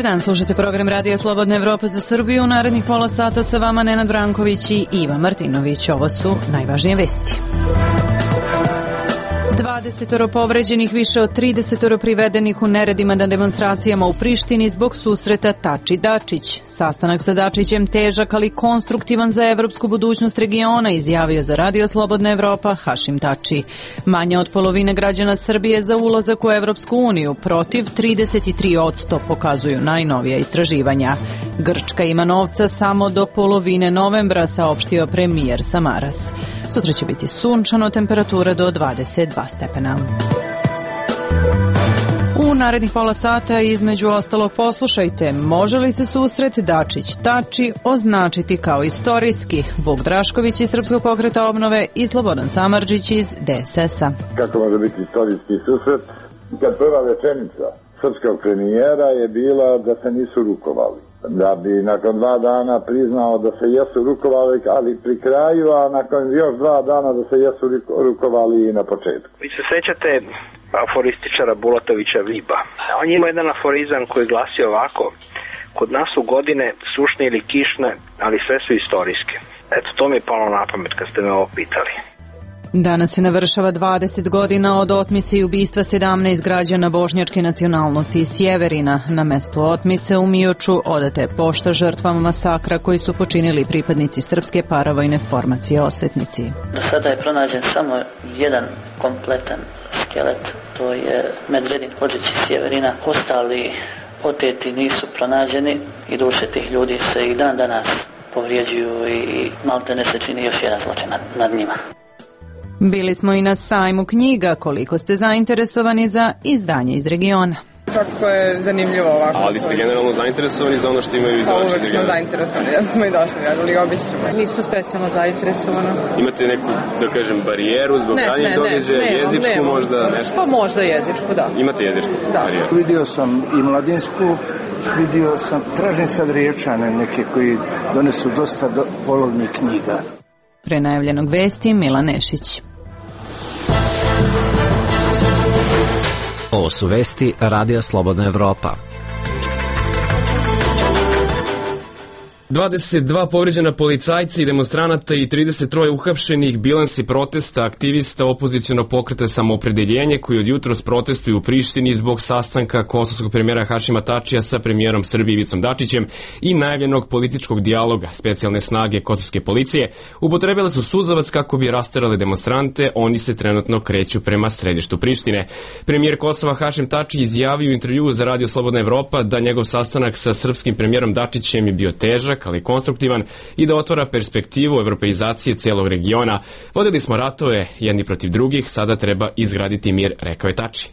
dan, slušate program Radija Slobodna Evropa za Srbiju. U narednih pola sata sa vama Nenad Branković i Iva Martinović. Ovo su najvažnije vesti. 20 povređenih, više od 30 privedenih u neredima na demonstracijama u Prištini zbog susreta Tači-Dačić. Sastanak sa Dačićem težak, ali konstruktivan za evropsku budućnost regiona, izjavio za Radio Slobodna Evropa Hašim Tači. Manje od polovine građana Srbije za ulazak u Evropsku uniju, protiv 33% pokazuju najnovija istraživanja. Grčka ima novca samo do polovine novembra, saopštio premijer Samaras. Sutra će biti sunčano, temperatura do 22 stepena. U narednih pola sata između ostalog poslušajte, može li se susret Dačić-Tači označiti kao istorijski? Vuk Drašković iz Srpskog pokreta obnove i Slobodan Samardžić iz DSS-a. Kako može biti istorijski susret? Kad prva rečenica srpskog premijera je bila da se nisu rukovali. Da bi nakon 2 dana priznao da se jesu rukovali, ali pri kraju, a nakon još 2 dana da se jesu rukovali i na početku. Vi se sećate aforističara Bulatovića Viba. On ima jedan aforizam koji glasi ovako: kod nas su godine sušne ili kišne, ali sve su istorijske. Eto, to mi je palo na pamet kad ste me ovo pitali. Danas se navršava 20 godina od otmice i ubistva 17 građana bošnjačke nacionalnosti iz Sjeverina. Na mestu otmice u Mioču odata je pošta žrtvama masakra koji su počinili pripadnici srpske paravojne formacije Osvetnici. Do sada je pronađen samo jedan kompletan skelet, to je Medvedin Hodžić iz Sjeverina. Ostali oteti nisu pronađeni i duše tih ljudi se i dan danas povrijeđuju i maltene se čini još jedan zločin nad njima. Bili smo i na sajmu knjiga. Koliko ste zainteresovani za izdanje iz regiona? Svakako je zanimljivo ovako. Ali ste generalno zainteresovani za ono što imaju izdavači iz regiona? Uvek smo zainteresovani, ja smo i došli, ali obično. Nisu specijalno zainteresovano. Imate neku, da kažem, barijeru zbog ranijih događaja, jezičku možda nešto? Pa možda jezičku, da. Imate jezičku barijeru? Vidio sam i mladinsku, vidio sam, tražim sad Riječane neke koji donesu dosta polovnih knjiga. Pre najavljenog vesti Milan Nešić. Ovo su vesti Radija Slobodna Evropa. 22 povređena policajca i demonstranata i 33 uhapšenih, bilansi protesta aktivista opozicionog pokreta Samoopredeljenje koji od jutros protestuju u Prištini zbog sastanka kosovskog premijera Hašima Tačija sa premijerom Srbije Ivicom Dačićem i najavljenog političkog dijaloga. Specijalne snage kosovske policije upotrebile su suzavac kako bi rasterale demonstrante, oni se trenutno kreću prema središtu Prištine. Premijer Kosova Hašim Tači izjavio u intervjuu za Radio Slobodna Evropa da njegov sastanak sa srpskim premijerom Dačićem je bio težak, ali konstruktivan i da otvara perspektivu evropeizacije celog regiona. Vodili smo ratove jedni protiv drugih, sada treba izgraditi mir, rekao je Tači.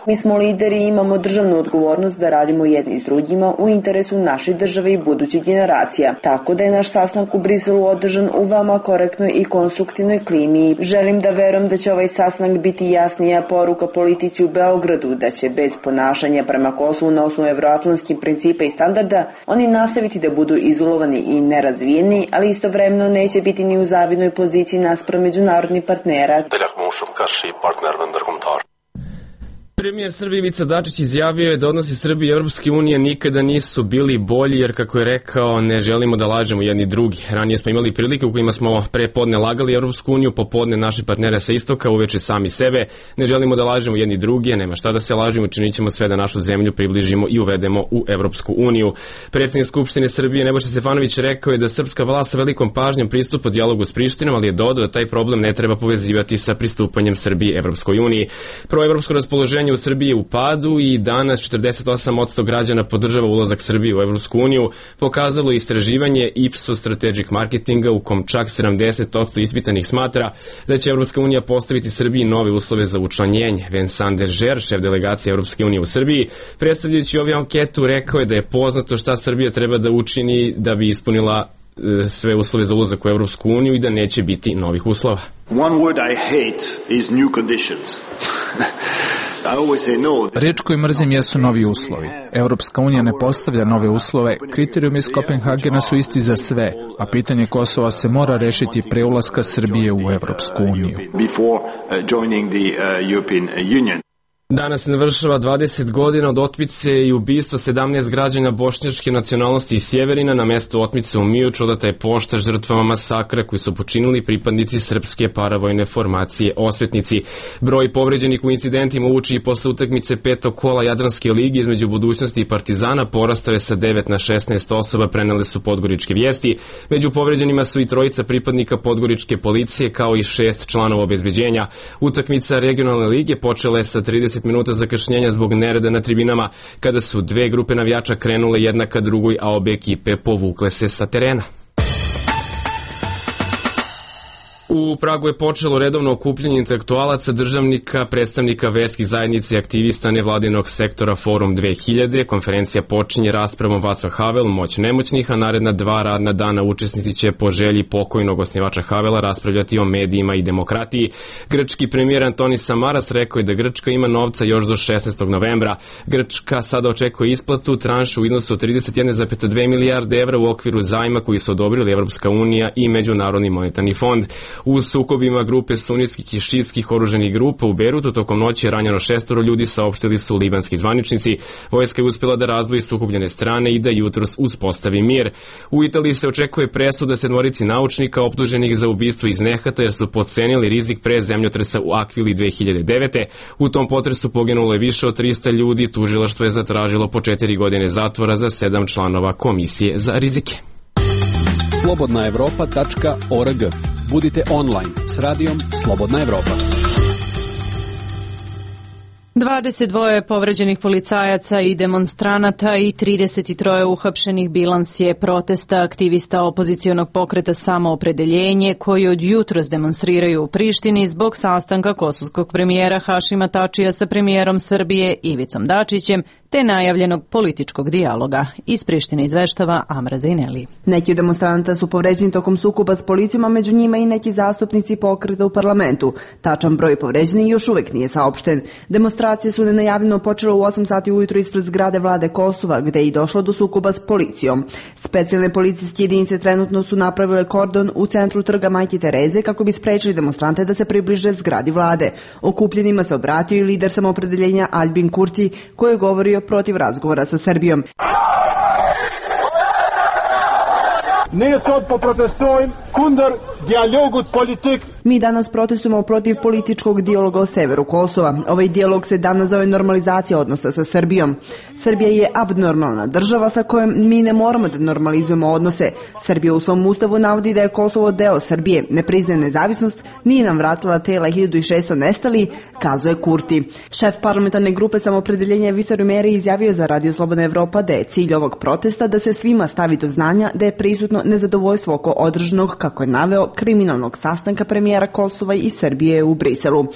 Mi smo lideri i imamo državnu odgovornost da radimo jedni s drugima u interesu naše države i budućih generacija. Tako da je naš sastanak u Briselu održan u veoma korektnoj i konstruktivnoj klimi. Želim da verujem da će ovaj sastanak biti jasnija poruka politici u Beogradu, da će bez ponašanja prema Kosovu na osnovu evroatlantskih principa i standarda oni nastaviti da budu izolovani i nerazvijeni, ali istovremeno neće biti ni u zavidnoj poziciji naspram međunarodnih partnera. Premijer Srbije Ivica Dačić izjavio je da odnosi Srbije i Europske unije nikada nisu bili bolji, jer kako je rekao, ne želimo da lažemo jedni drugi. Ranije smo imali prilike u kojima smo pre podne lagali Europsku uniju, popodne naše partnere sa istoka, uveče sami sebe. Ne želimo da lažemo jedni drugi, nema šta da se lažemo, činit ćemo sve da našu zemlju približimo i uvedemo u Europsku uniju. Predsjednik Skupštine Srbije Nebojša Stefanović rekao je da srpska vlast sa velikom pažnjom pristupa dijalogu s Prištinom, ali je dodao da taj problem ne treba povezivati sa pristupanjem Srbije Evropskoj uniji. Proevropsko raspoloženje u Srbiji je u padu i danas 48% građana podržava ulazak Srbije u Evropsku uniju, pokazalo istraživanje Ipsos Strategic Marketinga u kom čak 70% ispitanih smatra da će Evropska unija postaviti Srbiji nove uslove za učlanjenje. Vincent Dežer, šef delegacije Evropske unije u Srbiji, predstavljajući ovu anketu, rekao je da je poznato šta Srbija treba da učini da bi ispunila sve uslove za ulazak u Evropsku uniju i da neće biti novih uslova. One word I hate is new conditions. Riječ koju mrzim jesu novi uslovi. Europska unija ne postavlja nove uslove, kriterijumi iz Kopenhagena su isti za sve, a pitanje Kosova se mora rešiti pre ulaska Srbije u Europsku uniju. Danas se navršava 20 godina od otmice i ubistva 17 građana bošnjačke nacionalnosti iz Sjeverina. Na mesto otmice u Mijoču odata je pošta žrtvama masakra koji su počinili pripadnici srpske paravojne formacije Osvetnici. Broj povređenih u incidentima uoči i posle utakmice petog kola Jadranske lige između Budućnosti i Partizana porastao je sa 9 na 16 osoba, prenele su Podgoričke vijesti. Među povređenima su i trojica pripadnika Podgoričke policije kao i 6 članova obezbeđenja. Utakmica regionalne lige počela je sa 30 minuta zakašnjenja zbog nereda na tribinama, kada su dve grupe navijača krenule jedna ka drugoj, a obe ekipe povukle se sa terena. U Pragu je počelo redovno okupljanje intelektualaca, državnika, predstavnika verskih zajednica i aktivista nevladinog sektora Forum 2000. Konferencija počinje raspravom Václav Havel, Moć nemoćnih, a naredna 2 radna dana učesnici će po želji pokojnog osnivača Havela raspravljati o medijima i demokratiji. Grčki premijer Antonis Samaras rekao je da Grčka ima novca još do 16. novembra. Grčka sada očekuje isplatu tranšu u iznosu od 31,2 milijarde evra u okviru zajma koji su odobrili Evropska unija i Međunarodni monetarni fond. U sukobima grupe sunitskih i šiitskih oruženih grupa u Beirutu tokom noći je ranjeno 6 ljudi, saopštili su libanski zvaničnici. Vojska je uspjela da razdvoji sukobljene strane i da jutros uspostavi mir. U Italiji se očekuje presuda 7 naučnika optuženih za ubistvo iz nehata jer su podcenili rizik pre zemljotresa u Akvili 2009. U tom potresu poginulo je više od 300 ljudi. Tužilaštvo je zatražilo po 4 godine zatvora za 7 članova komisije za rizike. slobodnaevropa.org. Budite online s radijom Slobodna Evropa. 22 povređenih policajaca i demonstranata i 33 uhapšenih bilans je protesta aktivista opozicionog pokreta Samoopredeljenje koji od jutros demonstriraju u Prištini zbog sastanka kosovskog premijera Hašima Tačija sa premijerom Srbije Ivicom Dačićem te najavljenog političkog dijaloga. Iz Prištine izveštava Amra Zejneli. Neki od demonstranata su povređeni tokom sukoba s policijom, a među njima i neki zastupnici pokreta u parlamentu. Tačan broj povređenih još uvek nije saopšten. Demonstracije su nenajavljeno počele u 8 sati ujutro ispred zgrade vlade Kosova, gde je i došlo do sukoba s policijom. Specijalne policijske jedinice trenutno su napravile kordon u centru trga Majke Tereze kako bi sprečili demonstrante da se približe zgradi vlade. Okupljenima se obratio i lider Samoopredeljenja Albin Kurti, koji je govorio protiv razgovora sa Srbijom. Ne sad poprotestujem kundar dialogut politik. Mi danas protestujemo protiv političkog dijaloga o severu Kosova. Ovaj dijalog se danas zove normalizacija odnosa sa Srbijom. Srbija je abnormalna država sa kojom mi ne moramo da normalizujemo odnose. Srbija u svom ustavu navodi da je Kosovo deo Srbije, ne priznaje nezavisnost, nije nam vratila tela 1600 nestali, kazuje Kurti. Šef parlamentarne grupe Samoopredeljenja Visar Umeri izjavio za Radio Slobodna Evropa da je cilj ovog protesta da se svima stavi do znanja da je prisutno nezadovoljstvo oko održanog, kako je naveo, kriminalnog sastanka premijera Kosova i Srbije u Briselu.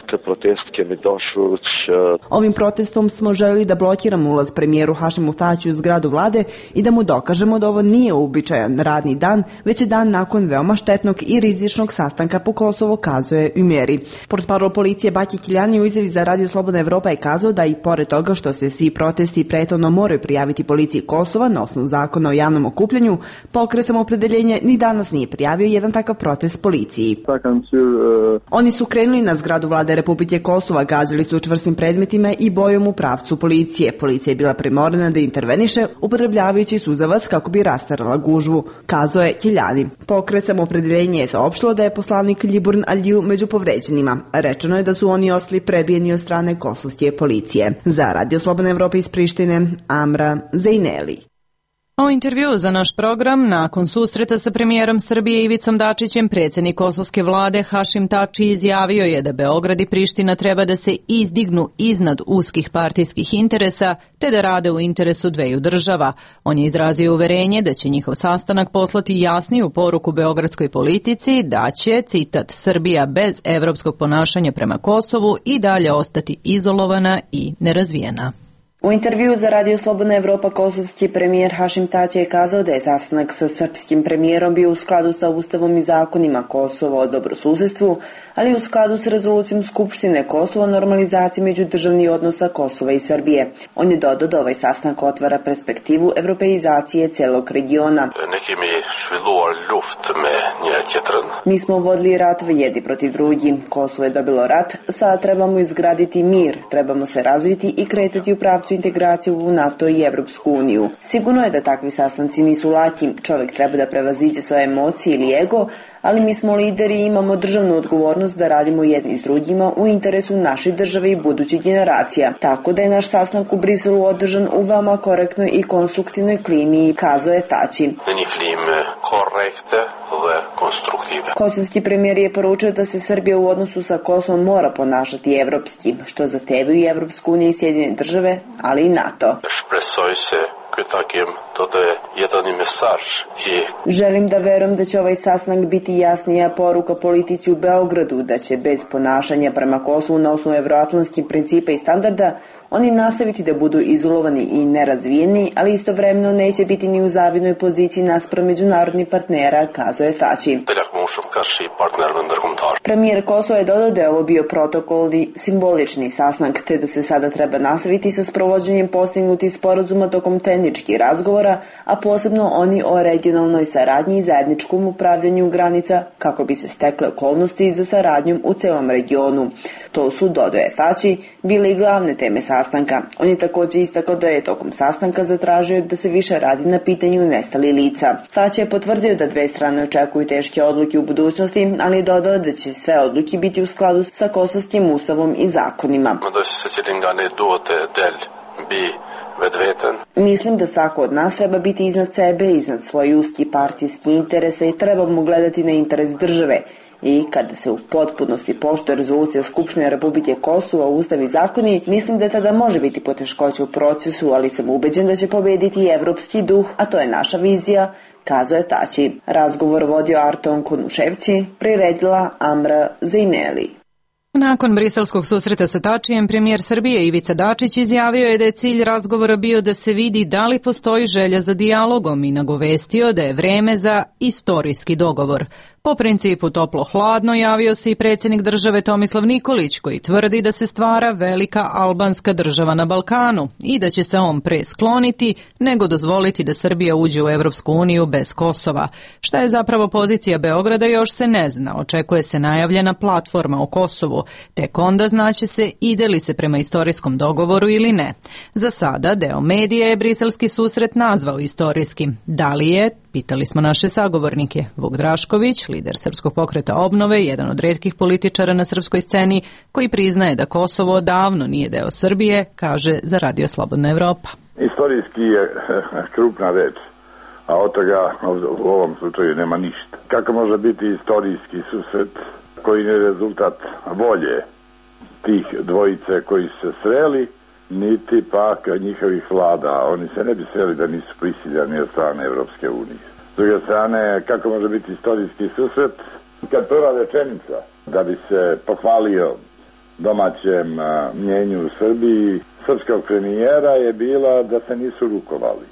Ovim protestom smo želeli da blokiramo ulaz premijeru Hašimu Tačiju u zgradu vlade i da mu dokažemo da ovo nije uobičajan radni dan, već je dan nakon veoma štetnog i rizičnog sastanka po Kosovo, kazuje Umeri. Portparol policije Baki Kiljani u izjavi za Radio Slobodna Evropa je kazao da i pored toga što se svi protesti prethodno moraju prijaviti policiji Kosova na osnovu zakona o javnom okupljanju, pokret Samoopredeljenje ni danas nije prijavio jedan takav protest policiji. Oni su krenuli na zgradu vlade Republike Kosova, gađali su čvrstim predmetima i bojom u pravcu policije. Policija je bila primorana da interveniše, upotrebljavajući suzavac kako bi rastarala gužvu, kazao je Kiljani. Pokret Samoopredeljenje je saopštilo da je poslanik Ljiburn Aliju među povređenima. Rečeno je da su oni ostali prebijeni od strane kosovske policije. Za Radio Slobodna Evropa iz Prištine, Amra Zejneli. O intervju za naš program, nakon susreta sa premijerom Srbije Ivicom Dačićem, predsjednik kosovske vlade Hašim Tači izjavio je da Beograd i Priština treba da se izdignu iznad uskih partijskih interesa, te da rade u interesu dveju država. On je izrazio uverenje da će njihov sastanak poslati jasniju poruku beogradskoj politici da će, citat, Srbija bez evropskog ponašanja prema Kosovu i dalje ostati izolovana i nerazvijena. U intervju za Radio Slobodna Evropa kosovski premijer Hašim Tači je kazao da je sastanak sa srpskim premijerom bio u skladu sa Ustavom i zakonima Kosova o dobrosusedstvu, ali u skladu s rezolucijom Skupštine Kosova o normalizaciji međudržavnih odnosa Kosova i Srbije. On je dodao da ovaj sastanak otvara perspektivu evropeizacije celog regiona. Mi smo vodili ratove jedni protiv drugi. Kosovo je dobilo rat, sad trebamo izgraditi mir, trebamo se razviti i kretati u pravcu integraciju u NATO i Evropsku uniju. Sigurno je da takvi sastanci nisu laki, čovjek treba da prevaziđe svoje emocije ili ego, ali mi smo lideri i imamo državnu odgovornost da radimo jedni s drugima u interesu naše države i budućih generacija. Tako da je naš sastanak u Briselu održan u veoma korektnoj i konstruktivnoj klimi, kazao je Tači. Kosovski premijer je poručio da se Srbija u odnosu sa Kosovom mora ponašati evropski, što zahtevaju i Evropsku uniju i Sjedinjene države, ali i NATO. Želim da verujem da će ovaj sastanak biti jasnija poruka politici u Beogradu, da će bez ponašanja prema Kosovu na osnovu evroatlantskih principa i standarda oni nastaviti da budu izolovani i nerazvijeni, ali istovremeno neće biti ni u zavidnoj poziciji naspram međunarodnih partnera, kazao je Tači. Premijer Kosova je dodao da je ovo bio protokolni simbolični sastanak, te da se sada treba nastaviti sa sprovođenjem postignutih sporazuma tokom tehničkih razgovora, a posebno oni o regionalnoj saradnji i zajedničkom upravljanju granica, kako bi se stekle okolnosti za saradnjom u celom regionu. To su, dodao je Tači, bile i glavne teme sastanka. On je također istakao da je tokom sastanka zatražio da se više radi na pitanju nestalih lica. Tači je potvrdio da dve strane očekuju teške odluke u budućnosti, ali je dodao da će sve odluke biti u skladu sa kosovskim ustavom i zakonima. Mislim da svako od nas treba biti iznad sebe, iznad svoje uski partijski interese i trebamo gledati na interes države. I kada se u potpunosti poštuje rezolucija Skupštine Republike Kosova, Ustav i zakoni, mislim da tada može biti poteškoća u procesu, ali sam ubeđen da će pobediti i evropski duh, a to je naša vizija, kazao je Tači. Razgovor vodio Arton Konuševci, priredila Amra Zejneli. Nakon briselskog susreta sa Tačijem, premijer Srbije Ivica Dačić izjavio je da je cilj razgovora bio da se vidi da li postoji želja za dijalogom i nagovestio da je vreme za istorijski dogovor. Po principu toplo-hladno javio se i predsjednik države Tomislav Nikolić, koji tvrdi da se stvara velika albanska država na Balkanu i da će se on pre skloniti nego dozvoliti da Srbija uđe u Evropsku uniju bez Kosova. Šta je zapravo pozicija Beograda još se ne zna, očekuje se najavljena platforma o Kosovu, tek onda znaće se ide li se prema istorijskom dogovoru ili ne. Za sada deo medija je briselski susret nazvao istorijskim. Da li je? Pitali smo naše sagovornike. Vuk Drašković, lider Srpskog pokreta obnove, jedan od retkih političara na srpskoj sceni, koji priznaje da Kosovo odavno nije deo Srbije, kaže za Radio Slobodna Evropa. Istorijski je krupna reč, a od toga u ovom slučaju nema ništa. Kako može biti istorijski susret koji je rezultat volje tih dvojice koji su se sreli, niti pak njihovih vlada. Oni se ne bi sreli da nisu prisiljani od strane Evropske unije. S druge strane, kako može biti istorijski susret kad prva rečenica da bi se pohvalio domaćem mnjenju u Srbiji srpskog premijera je bila da se nisu rukovali.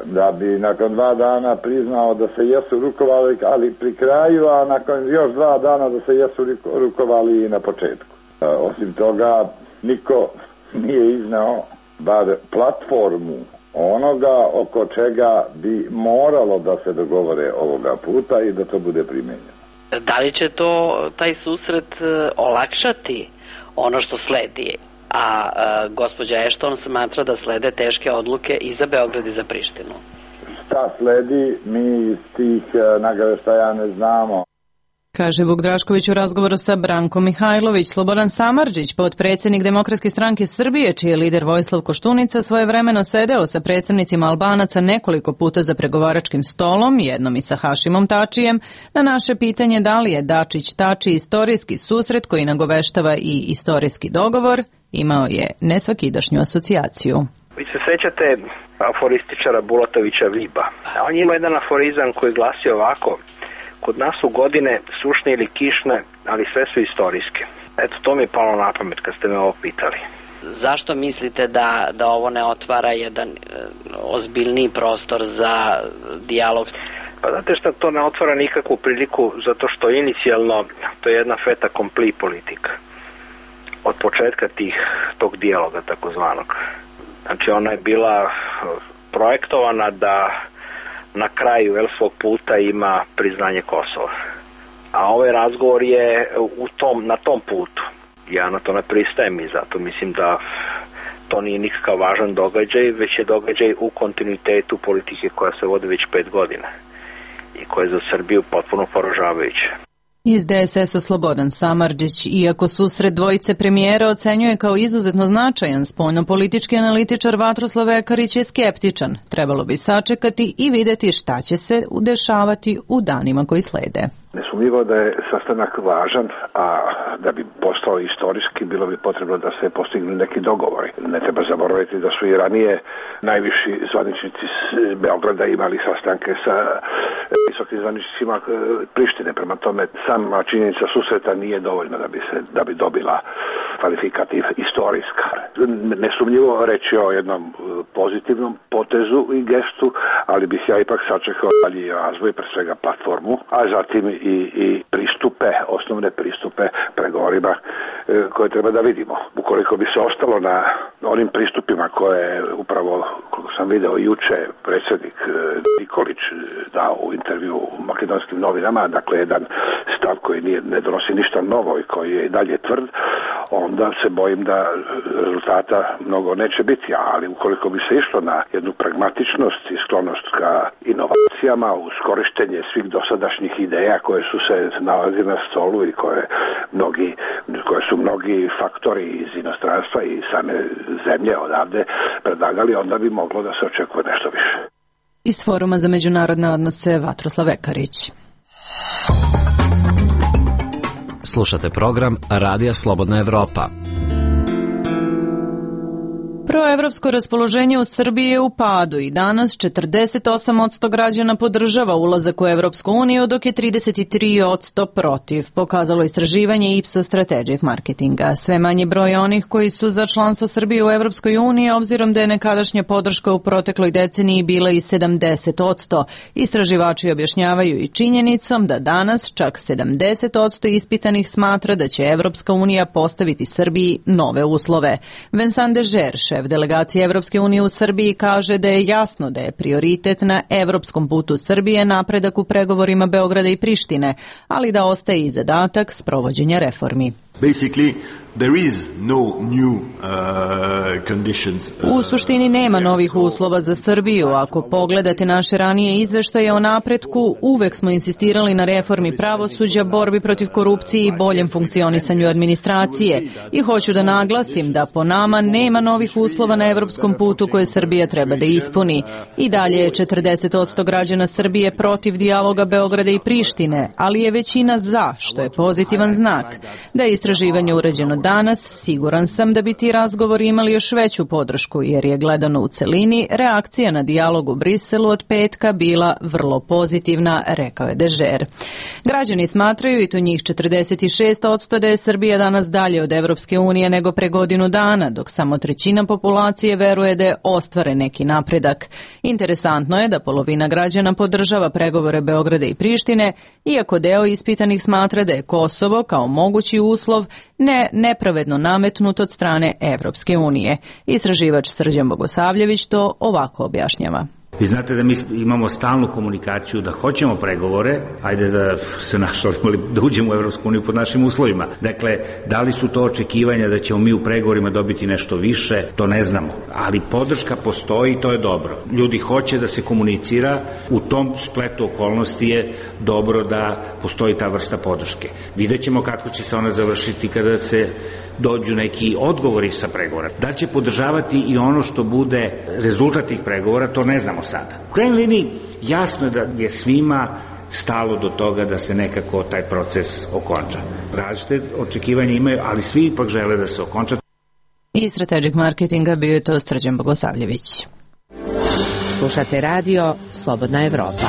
Da bi nakon 2 dana priznao da se jesu rukovali, ali pri kraju, a nakon još 2 dana da se jesu rukovali i na početku. Osim toga, niko nije iznao bar platformu onoga oko čega bi moralo da se dogovore ovoga puta i da to bude primenjeno. Da li će taj susret olakšati ono što sledi? A gospođa Ashton smatra da slede teške odluke i za Beograd i za Prištinu. Šta sledi, mi iz tih nagaveštaja ne znamo. Kaže Vuk Drašković u razgovoru sa Brankom Mihajlović. Slobodan Samardžić, potpredsjednik Demokratske stranke Srbije, čiji je lider Vojislav Koštunica, svojevremeno sedeo sa predstavnicima Albanaca nekoliko puta za pregovaračkim stolom, jednom i sa Hašimom Tačijem, na naše pitanje da li je Dačić-Tači istorijski susret koji nagoveštava i istorijski dogovor, imao je nesvakidašnju asocijaciju. Vi se sećate aforističara Bulatovića Viba. On ima jedan aforizam koji glasi ovako: kod nas su godine sušne ili kišne, ali sve su istorijske. Eto, to mi je palo na pamet kad ste me ovo pitali. Zašto mislite da ovo ne otvara jedan ozbiljniji prostor za dijalog? Pa znate šta, to ne otvara nikakvu priliku zato što inicijalno to je jedna fait accompli politika. Od početka tog dijaloga takozvanog. Znači ona je bila projektovana da na kraju svog puta ima priznanje Kosova. A ovaj razgovor je na tom putu. Ja na to ne pristajem i zato mislim da to nije nikakav važan događaj, već je događaj u kontinuitetu politike koja se vodi već 5 godina i koja je za Srbiju potpuno poražavajuća. Iz DSS-a Slobodan Samardžić, iako susret dvojice premijera ocenjuje kao izuzetno značajan, spoljnopolitički analitičar Vatroslav Ekarić je skeptičan. Trebalo bi sačekati i vidjeti šta će se dešavati u danima koji slede. Nesumnjivo da je sastanak važan, a da bi postao istorijski bilo bi potrebno da se postignu neki dogovori. Ne treba zaboraviti da su i ranije najviši zvaničnici Beograda imali sastanke sa visokim zvaničnicima Prištine. Prema tome, sama činjenica susreta nije dovoljna da bi dobila kvalifikativ istorijska. Nesumnjivo reći o jednom pozitivnom potezu i gestu, ali bih ja ipak sačekao dalji razvoj, pre svega platformu, a zatim i pristupe, osnovne pristupe pregovorima koje treba da vidimo. Ukoliko bi se ostalo na onim pristupima koje je upravo, koliko sam video juče, predsjednik Nikolić dao u intervju u Makedonskim novinama, dakle jedan stav koji ne donosi ništa novo i koji je i dalje tvrd, onda se bojim da rezultata mnogo neće biti, ali ukoliko bi se išlo na jednu pragmatičnost i sklonost ka inovacijama uz korištenje svih dosadašnjih ideja koje su se nalazile na stolu i koje su mnogi faktori iz inostranstva i same zemlje odavde predlagali, onda bi moglo da se očekuje nešto više. Iz Foruma za međunarodne odnose Vatroslav Ekarić. Slušate program Radija Slobodna Evropa. Proevropsko raspoloženje u Srbiji je u padu i danas 48% građana podržava ulazak u Evropsku uniju, dok je 33% protiv, pokazalo istraživanje Ipsos Strategic Marketinga. Sve manji broj onih koji su za članstvo Srbije u Evropskoj uniji, obzirom da je nekadašnja podrška u protekloj deceniji bila i 70%. Istraživači objašnjavaju i činjenicom da danas čak 70% ispitanih smatra da će Evropska unija postaviti Srbiji nove uslove. Vincent Dežer, šef delegacije Evropske unije u Srbiji, kaže da je jasno da je prioritet na evropskom putu Srbije napredak u pregovorima Beograda i Prištine, ali da ostaje i zadatak sprovođenja reformi. U suštini nema novih uslova za Srbiju. Ako pogledate naše ranije izveštaje o napretku, uvek smo insistirali na reformi pravosuđa, borbi protiv korupcije i boljem funkcionisanju administracije. I hoću da naglasim da po nama nema novih uslova na evropskom putu koje Srbija treba da ispuni. I dalje je 40% građana Srbije protiv dijaloga Beograda i Prištine, ali je većina za, što je pozitivan znak. Da je istraživanje urađeno danas, siguran sam da bi ti razgovori imali još veću podršku, jer je gledano u celini reakcija na dijalog u Briselu od petka bila vrlo pozitivna, rekao je Dežer. Građani smatraju, i to njih 46%, da je Srbija danas dalje od Evropske unije nego pre godinu dana, dok samo trećina populacije veruje da je ostvaren neki napredak. Interesantno je da polovina građana podržava pregovore Beograda i Prištine, iako deo ispitanih smatra da je Kosovo kao mogući uslov nepravedno nametnut od strane Evropske unije. Istraživač Srđan Bogosavljević to ovako objašnjava. Vi znate da mi imamo stalnu komunikaciju da hoćemo pregovore, ajde da se našalimo da uđemo u Evropsku uniju pod našim uslovima. Dakle, da li su to očekivanja da ćemo mi u pregovorima dobiti nešto više, to ne znamo. Ali podrška postoji i to je dobro. Ljudi hoće da se komunicira, u tom spletu okolnosti je dobro da postoji ta vrsta podrške. Vidjet ćemo kako će se ona završiti kada se dođu neki odgovori sa pregovora. Da će podržavati i ono što bude rezultat tih pregovora, to ne znamo sada. U krajnjoj liniji jasno je da je svima stalo do toga da se nekako taj proces okonča. Različite očekivanja imaju, ali svi ipak žele da se okonča. I Strategic Marketinga bio je to Srđan Bogosavljević. Slušate radio Slobodna Evropa.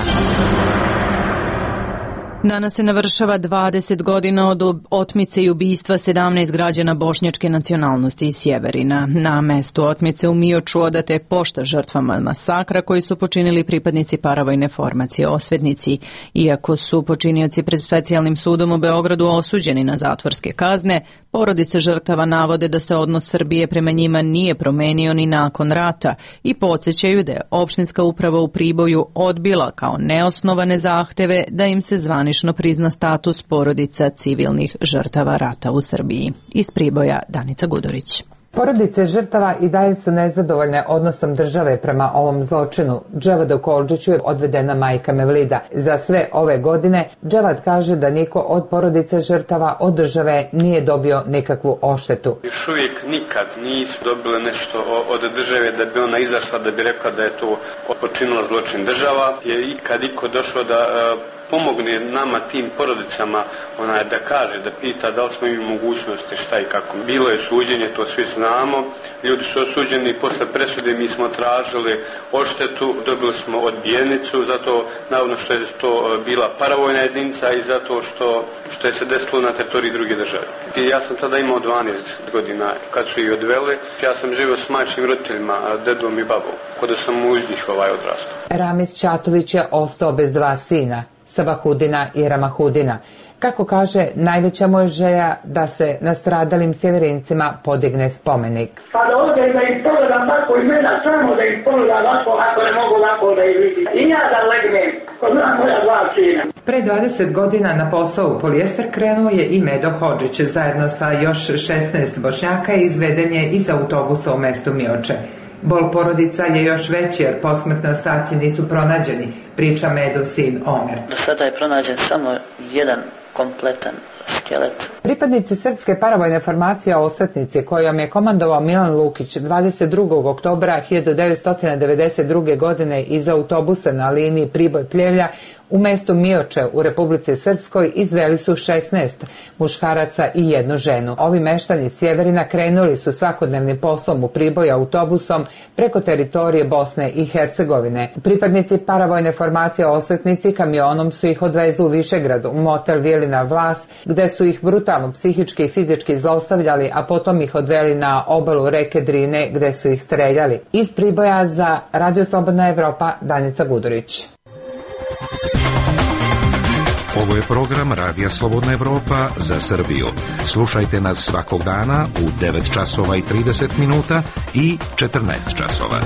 Danas se navršava 20 godina od otmice i ubistva 17 građana bošnjačke nacionalnosti iz Sjeverina. Na mestu otmice u Mioču odate pošta žrtvama masakra koji su počinili pripadnici paravojne formacije Osvetnici. Iako su počinioci pred specijalnim sudom u Beogradu osuđeni na zatvorske kazne, porodice žrtava navode da se odnos Srbije prema njima nije promenio ni nakon rata i podsjećaju da je opštinska uprava u Priboju odbila kao neosnovane zahteve da im se zvanično prizna status porodica civilnih žrtava rata u Srbiji. Iz Priboja Danica Gudorić. Porodice žrtava i dalje su nezadovoljne odnosom države prema ovom zločinu. Dževad Okolđiću je odvedena majka Mevlida. Za sve ove godine Dževad kaže da niko od porodice žrtava od države nije dobio nikakvu odštetu. Još uvijek nikad nisu dobile nešto od države da bi ona izašla da bi rekla da je to počinila zločin država. Je ikad iko došao da pomogne nama tim porodicama, da kaže, da pita da li smo imali mogućnosti, šta i kako. Bilo je suđenje, to svi znamo, ljudi su osuđeni i posle presude mi smo tražili odštetu, dobili smo odbijenicu, zato navodno što je to bila paravojna jedinca i zato što je se desilo na teritoriji druge države. I ja sam tada imao 12 godina kad su ih odveli, ja sam živio s majčnim roditeljima, dedom i babom, kada sam uz njih odrastao. Ramiz Ćatović je ostao bez dva sina, Sabahudina i Ramahudina. Kako kaže, najveća mu je želja da se nastradalim sjeverincima podigne spomenik. Pa da ovdje da ih pogledam tako imena, samo da ih pogledam lako, ako ne mogu lako da ih vidim. I ja da legnem, ko znam moja dva sina. Pre 20 godina na posao u polijester krenuo je i Medo Hodžić. Zajedno sa još 16 Bošnjaka izveden je iz autobusa u mestu Mioče. Bol porodica je još veći jer posmrtne ostaci nisu pronađeni, priča Medov sin Omer. Do sada je pronađen samo jedan kompletan skelet. Pripadnici srpske paravojne formacije Osvetnici, kojom je komandovao Milan Lukić 22. oktobra 1992. godine iz autobusa na liniji Priboj-Pljevlja u mestu Mioče u Republici Srpskoj izveli su 16 muškaraca i jednu ženu. Ovi meštani Sjeverina krenuli su svakodnevnim poslom u Priboj autobusom preko teritorije Bosne i Hercegovine. Pripadnici paravojne formacije Osvetnici kamionom su ih odvezli u Višegrad, u motel Vilina Vlas, gde su ih brutalno psihički i fizički zlostavljali, a potom ih odveli na obalu reke Drine gde su ih streljali. Iz Priboja za Radio Slobodna Evropa, Danica Gudorić. Ovo je program Radija Slobodna Evropa za Srbiju. Slušajte nas svakog dana u 9 časova i 30 minuta i 14 časova.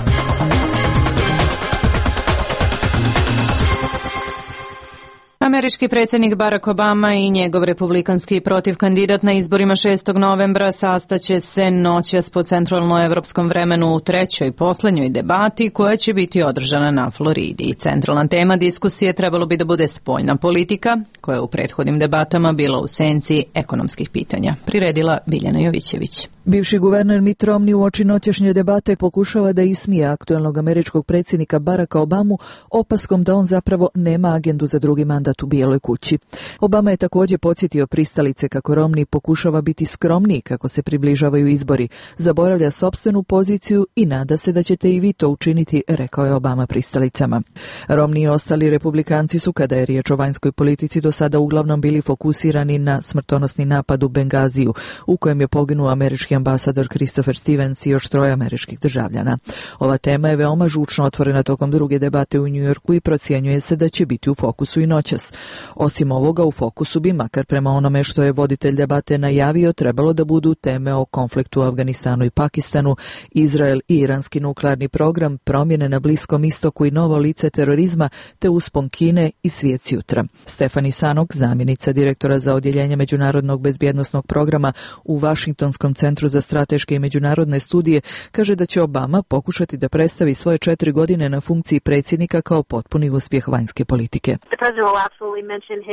Američki predsjednik Barack Obama i njegov republikanski protivkandidat na izborima 6. novembra sastaće se noćas po centralnoevropskom vremenu u trećoj poslednjoj debati koja će biti održana na Floridi. Centralna tema diskusije trebalo bi da bude spoljna politika, koja je u prethodnim debatama bila u senci ekonomskih pitanja. Priredila Biljana Jovićević. Bivši guverner Mitt Romney uoči noćašnje debate pokušava da ismije aktuelnog američkog predsjednika Baracka Obamu opaskom da on zapravo nema agendu za drugi mandat u Bijeloj kući. Obama je također podsjetio pristalice kako Romney pokušava biti skromniji kako se približavaju izbori, zaboravlja sopstvenu poziciju i nada se da ćete i vi to učiniti, rekao je Obama pristalicama. Romney i ostali republikanci su, kada je riječ o vanjskoj politici, do sada uglavnom bili fokusirani na smrtonosni napad u Bengaziju, u kojem je poginuo američki ambasador Christopher Stevens i još 3 američkih državljana. Ova tema je veoma žučno otvorena tokom druge debate u Njujorku i procjenjuje se da će biti u fokusu i noćas. Osim ovoga, u fokusu bi, makar prema onome što je voditelj debate najavio, trebalo da budu teme o konfliktu u Afganistanu i Pakistanu, Izrael i iranski nuklearni program, promjene na Bliskom istoku i novo lice terorizma, te uspon Kine i svijet sutra. Stefani Sanok, zamjenica direktora za odjeljenje međunarodnog bezbjednosnog programa u Vašingtonskom centru za strateške i međunarodne studije, kaže da će Obama pokušati da predstavi svoje 4 godine na funkciji predsjednika kao potpuni uspjeh vanjske politike.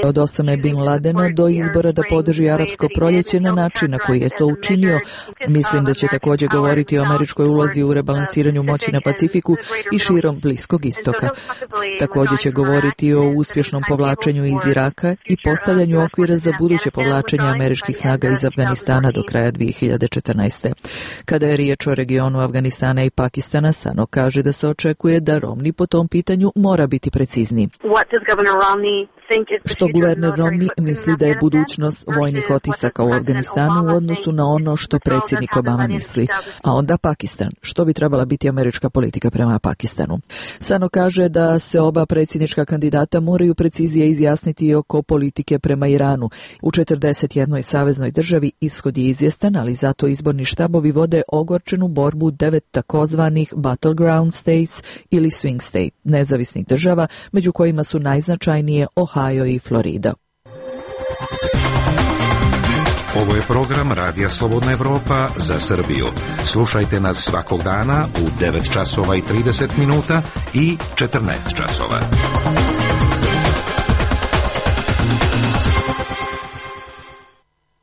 Od Osame Bin Ladena do izbora da podrži arapsko proljeće na način na koji je to učinio. Mislim da će također govoriti o američkoj ulozi u rebalansiranju moći na Pacifiku i širom Bliskog istoka. Također će govoriti o uspješnom povlačenju iz Iraka i postavljanju okvira za buduće povlačenje američkih snaga iz Afganistana do kraja 2014. Kada je riječ o regionu Afganistana i Pakistana, Sano kaže da se očekuje da Romney po tom pitanju mora biti precizniji. što guverner Romney misli da je budućnost vojnih otisaka u Afganistanu u odnosu na ono što predsjednik Obama misli. A onda Pakistan, što bi trebala biti američka politika prema Pakistanu. Sano kaže da se oba predsjednička kandidata moraju precizije izjasniti oko politike prema Iranu. U 41. saveznoj državi ishod je izvjestan, ali zato izborni štabovi vode ogorčenu borbu 9 takozvanih battleground states ili swing state, nezavisnih država, među kojima su najznačajnije Ohio i Florida. Ovo je program Radija Slobodna Evropa za Srbiju. Slušajte nas svakog dana u 9 časova i 30 minuta i 14 časova.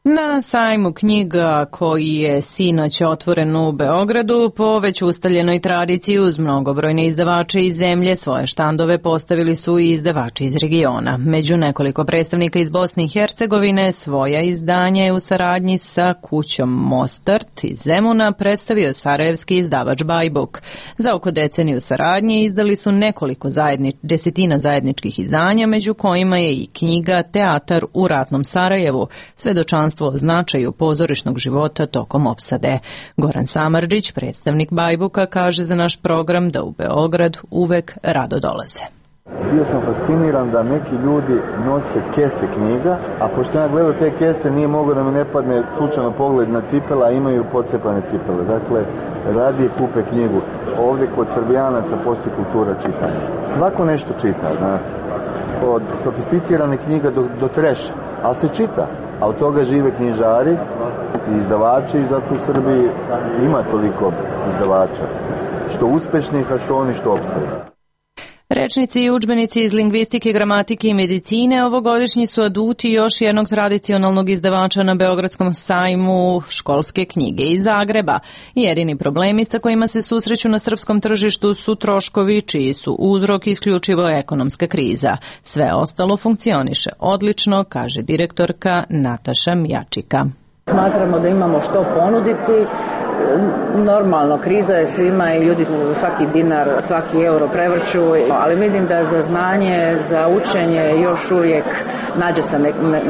Na sajmu knjiga koji je sinoć otvoren u Beogradu, po već ustaljenoj tradiciji uz mnogobrojne izdavače iz zemlje, svoje štandove postavili su i izdavači iz regiona. Među nekoliko predstavnika iz Bosne i Hercegovine svoja izdanja je u saradnji sa kućom Mostart iz Zemuna predstavio sarajevski izdavač Bajbuk. Za oko deceniju saradnje izdali su nekoliko desetina zajedničkih izdanja, među kojima je i knjiga Teatar u ratnom Sarajevu, svedočanstvo o značaju pozorišnog života tokom opsade. Goran Samardžić, predstavnik Bajbuka, kaže za naš program da u Beograd uvek rado dolaze. Bio sam fasciniran da neki ljudi nose kese knjiga, a pošto ja gledao te kese nije mogao da mi ne padne slučajno pogled na cipele, a imaju pocepane cipele. Dakle, radije kupe knjigu. Ovdje kod Srbijanaca postoji kultura čitanja. Svako nešto čita, od sofisticirane knjiga do treša, ali se čita. A od toga žive knjižari i izdavači i zato u Srbiji ima toliko izdavača. Što uspešnih, a što oni što opstaju. Rečnici i udžbenici iz lingvistike, gramatike i medicine ovogodišnji su aduti još jednog tradicionalnog izdavača na Beogradskom sajmu školske knjige iz Zagreba. Jedini problemi sa kojima se susreću na srpskom tržištu su troškovi, čiji su uzrok isključivo ekonomska kriza. Sve ostalo funkcioniše odlično, kaže direktorka Nataša Mjačika. Smatramo da imamo što ponuditi. Normalno, kriza je svima i ljudi svaki dinar, svaki euro prevrću, ali vidim da za znanje, za učenje još uvijek nađe se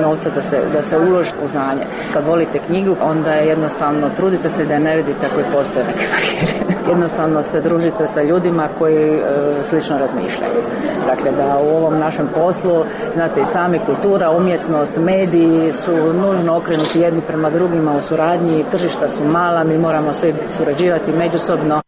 novca da se uloži u znanje. Kad volite knjigu, onda je jednostavno trudite se da ne vidite ako postoje neke barijere. Jednostavno se družite sa ljudima koji slično razmišljaju. Dakle, da u ovom našem poslu, znate i sami, kultura, umjetnost, mediji su nužno okrenuti jedni prema drugima u suradnji, tržišta su mala, mi moramo svi surađivati međusobno.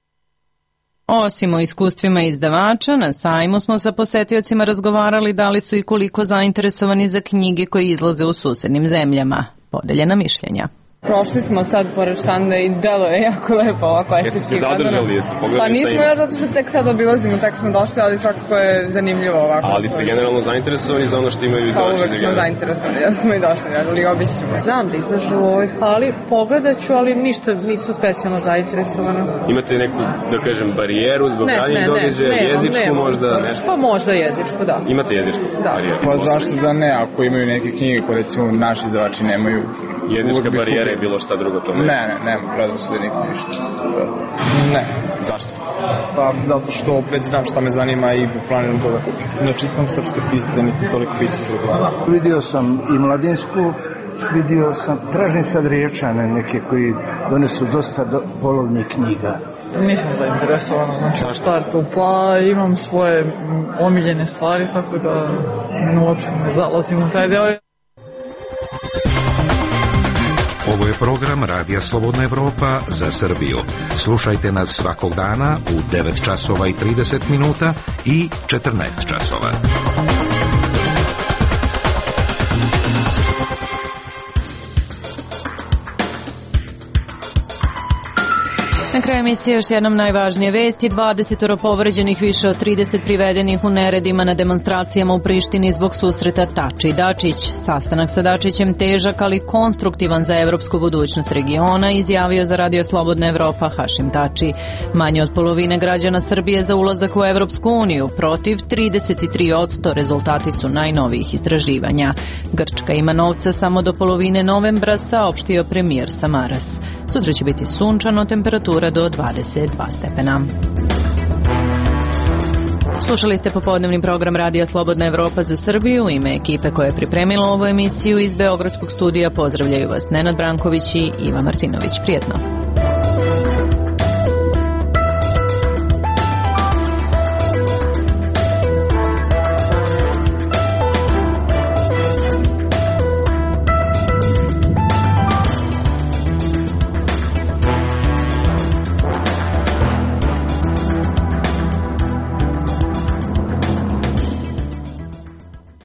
Osim o iskustvima izdavača, na sajmu smo sa posetiocima razgovarali da li su i koliko zainteresovani za knjige koje izlaze u susednim zemljama. Podeljena mišljenja. Prošli smo sad pored štanda i delo je jako lepo ovako estetski. Jeste se zadržali, jeste pogledali pa nismo još zato što tek sad obilazimo, tek smo došli, ali svakako je zanimljivo ovako. Ali ste generalno zainteresovani za ono što imaju izdavači? Pa uvek smo zainteresovani, ja smo i došli, ali obići ćemo. Znam da izlažu u ovoj hali, pogledat ću, ali ništa nisu specijalno zainteresovano. Imate neku, da kažem, barijeru zbog ranjih događaja, jezičku možda nešto? Pa možda jezičku, da. Imate jezičku barijeru? Pa zašto da ne, ako imaju neke knjige koje recimo naši izdavači nemaju. Jezička barijera je bilo šta drugo tome? Ne, predrasude nikom ništa. Ne. Zašto? Pa zato što opet znam šta me zanima i planiram to da kupim. Ne čitam srpske pisce, niti toliko pisce za glava. Vidio sam i Mladinsku, tražim sad Riječane neke koji donesu dosta polovnih knjiga. Nisam zainteresovana, znači štartu, pa imam svoje omiljene stvari, tako da uopšte ne zalazim u taj deo. Ovo je program Radija Slobodna Evropa za Srbiju. Slušajte nas svakog dana u 9 časova i 30 minuta i 14 časova. Na kraju emisije još jednom najvažnije vesti. 20 povređenih, više od 30 privedenih u neredima na demonstracijama u Prištini zbog susreta Tači i Dačić. Sastanak sa Dačićem težak, ali konstruktivan za evropsku budućnost regiona, izjavio za Radio Slobodna Evropa Hašim Tači. Manje od polovine građana Srbije za ulazak u Evropsku uniju, protiv 33%, rezultati su najnovijih istraživanja. Grčka ima novca samo do polovine novembra, saopštio premijer Samaras. Sutra će biti sunčano, temperatura do 22 stepena. Slušali ste popodnevni program Radija Slobodna Evropa za Srbiju. U ime ekipe koja je pripremila ovu emisiju iz Beogradskog studija pozdravljaju vas Nenad Branković i Iva Martinović. Prijetno.